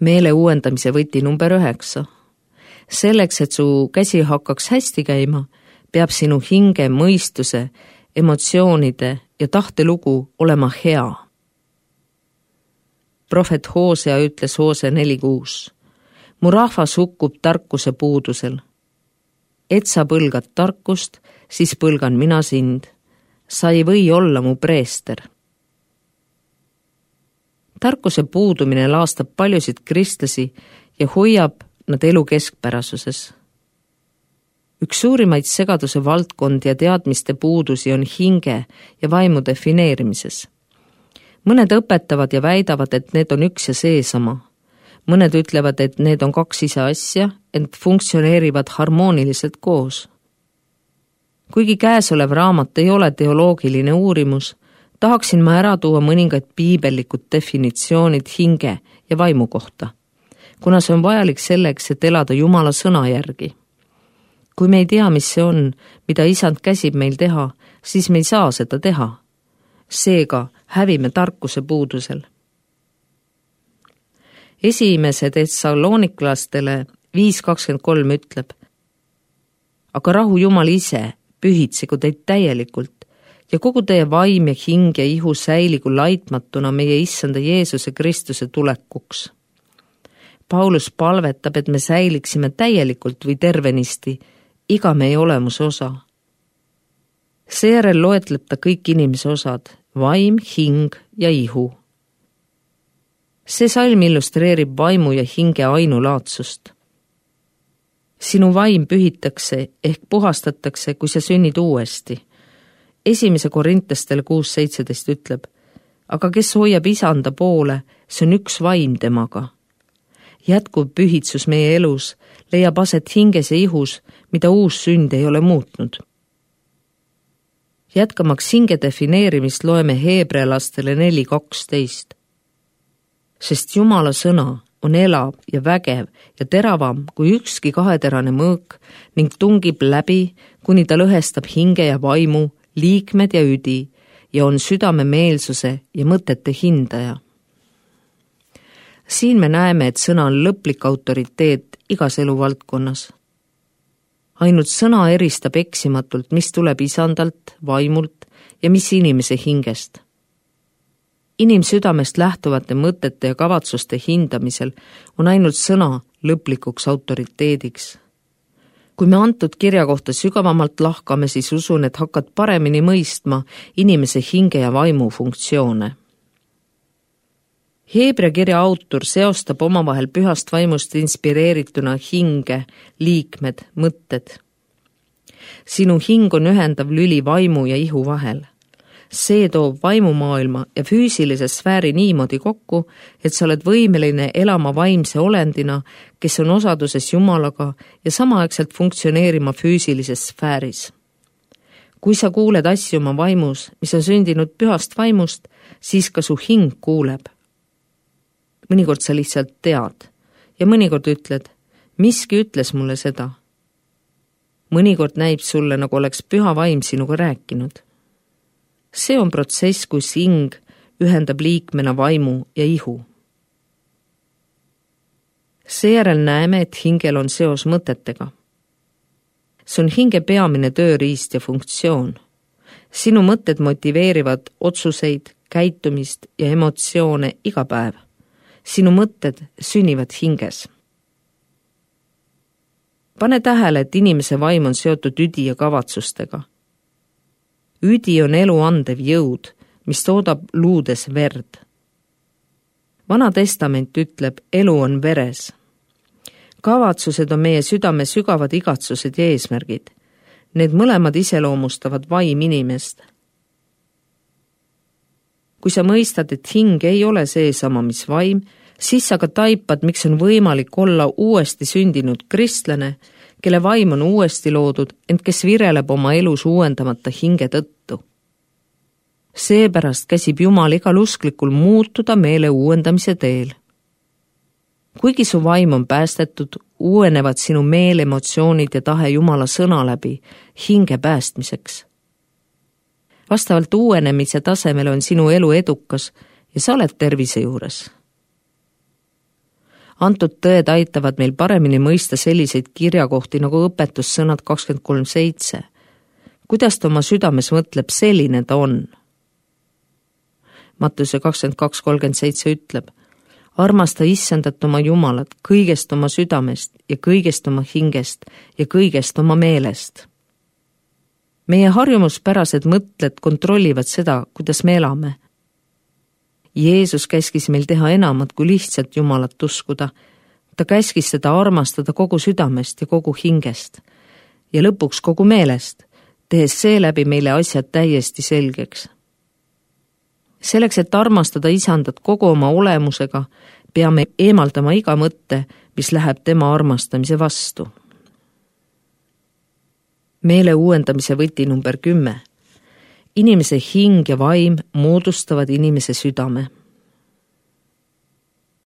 Meele uuendamise võti number 9. Selleks, et su käsi hakkaks hästi käima, peab sinu hinge, mõistuse, emotsioonide ja tahtelugu olema hea. Prohvet Hoosea ütles Hoosea 4:6. Mu rahvas hukkub tarkuse puudusel. Et sa põlgad tarkust, siis põlgan mina sind. Sa ei või olla mu preester. Tarkuse puudumine laastab paljusid kristlasi ja hoiab nad elu keskpärasuses. Üks suurimaid segaduse valdkondi ja teadmiste puudusi on hinge ja vaimu defineerimises. Mõned õpetavad ja väidavad, et need on üks ja seesama. Mõned ütlevad, et need on 2 ise asja, ent funktsioneerivad harmooniliselt koos. Kuigi käesolev raamat ei ole teoloogiline uurimus, tahaksin ma ära tuua mõningaid piibellikud definitsioonid hinge ja vaimu kohta, kuna see on vajalik selleks, et elada Jumala sõna järgi. Kui me ei tea, mis see on, mida Isand käsib meil teha, siis me ei saa seda teha. Seega hävime tarkuse puudusel. Esimese Thessaloniklastele 5:23 ütleb: Aga rahu Jumal ise pühitsegu teid täielikult ja kogu teie vaim ja hing ja ihu säiligu laitmatuna meie Issanda Jeesuse Kristuse tulekuks. Paulus palvetab, et me säiliksime täielikult või tervenisti iga meie olemuse osa. Seejärel loetleb ta kõik inimese osad, vaim, hing ja ihu. See salm illustreerib vaimu ja hinge ainulaadsust. Sinu vaim pühitakse ehk puhastatakse, kui sa sünnid uuesti. 1. Korintestele 6:17 ütleb: Aga kes hoiab Isanda poole, see on üks vaim temaga. Jätkuv pühitsus meie elus leiab aset hinges ja ihus, mida uus sünd ei ole muutnud. Jätkamaks hinge defineerimist loeme Heebrealastele 4:12. Sest Jumala sõna on elav ja vägev ja teravam kui ükski kaheterane mõõk ning tungib läbi, kuni ta lõhestab hinge ja vaimu, liikmed ja üdi ja on südame meelsuse ja mõtete hindaja. Siin me näeme, et sõna on lõplik autoriteet igas eluvaldkonnas. Ainult sõna eristab eksimatult, mis tuleb Isandalt, vaimult ja mis inimese hingest. Inimsüdamest lähtuvate mõtete ja kavatsuste hindamisel on ainult sõna lõplikuks autoriteediks. Kui me antud kirja kohta sügavamalt lahkame, siis usun, et hakkad paremini mõistma inimese hinge ja vaimu funktsioone. Heebrea kirja autor seostab omavahel pühast vaimust inspireerituna hinge, liikmed, mõtted. Sinu hing on ühendav lüli vaimu ja ihu vahel. See toob vaimumaailma ja füüsilise sfääri niimoodi kokku, et sa oled võimeline elama vaimse olendina, kes on osaduses Jumalaga ja samaaegselt funktsioneerima füüsilises sfääris. Kui sa kuuled asju oma vaimus, mis on sündinud pühast vaimust, siis ka su hing kuuleb. Mõnikord sa lihtsalt tead ja mõnikord ütled, miski ütles mulle seda. Mõnikord näib sulle, nagu oleks püha vaim sinuga rääkinud. See on protsess, kus hing ühendab liikmena vaimu ja ihu. Seejärel näeme, et hingel on seos mõtetega. See on hinge peamine tööriist ja funktsioon. Sinu mõtted motiveerivad otsuseid, käitumist ja emotsioone iga päev. Sinu mõtted sünnivad hinges. Pane tähele, et inimese vaim on seotud üdi ja kavatsustega. Üdi on elu andev jõud, mis toodab luudes verd. Vana testament ütleb, elu on veres. Kavatsused on meie südame sügavad igatsused ja eesmärgid. Need mõlemad iseloomustavad vaim inimest. Kui sa mõistad, et hing ei ole seesama, mis vaim, siis sa ka taipad, miks on võimalik olla uuesti sündinud kristlane, kelle vaim on uuesti loodud, ent kes vireleb oma elus uuendamata hinge tõttu. Seepärast käsib Jumal igal usklikul muutuda meele uuendamise teel. Kuigi su vaim on päästetud, uuenevad sinu meel, emotsioonid ja tahe Jumala sõna läbi hinge päästmiseks. Vastavalt uuenemise tasemele on sinu elu edukas ja sa oled tervise juures. Antud tõed aitavad meil paremini mõista selliseid kirjakohti nagu õpetussõnad 23:7. Kuidas ta oma südames mõtleb, selline ta on. Mattuse 22:37 ütleb: armasta Issandat oma Jumalat kõigest oma südamest ja kõigest oma hingest ja kõigest oma meelest. Meie harjumuspärased mõtted kontrollivad seda, kuidas me elame. Jeesus käskis meil teha enamat kui lihtsalt Jumalat uskuda. Ta käskis seda armastada kogu südamest ja kogu hingest ja lõpuks kogu meelest, tehes seeläbi meile asjad täiesti selgeks. Selleks, et armastada Isandat kogu oma olemusega, peame eemaldama iga mõtte, mis läheb tema armastamise vastu. Meele uuendamise võti number 10. Inimese hing ja vaim moodustavad inimese südame.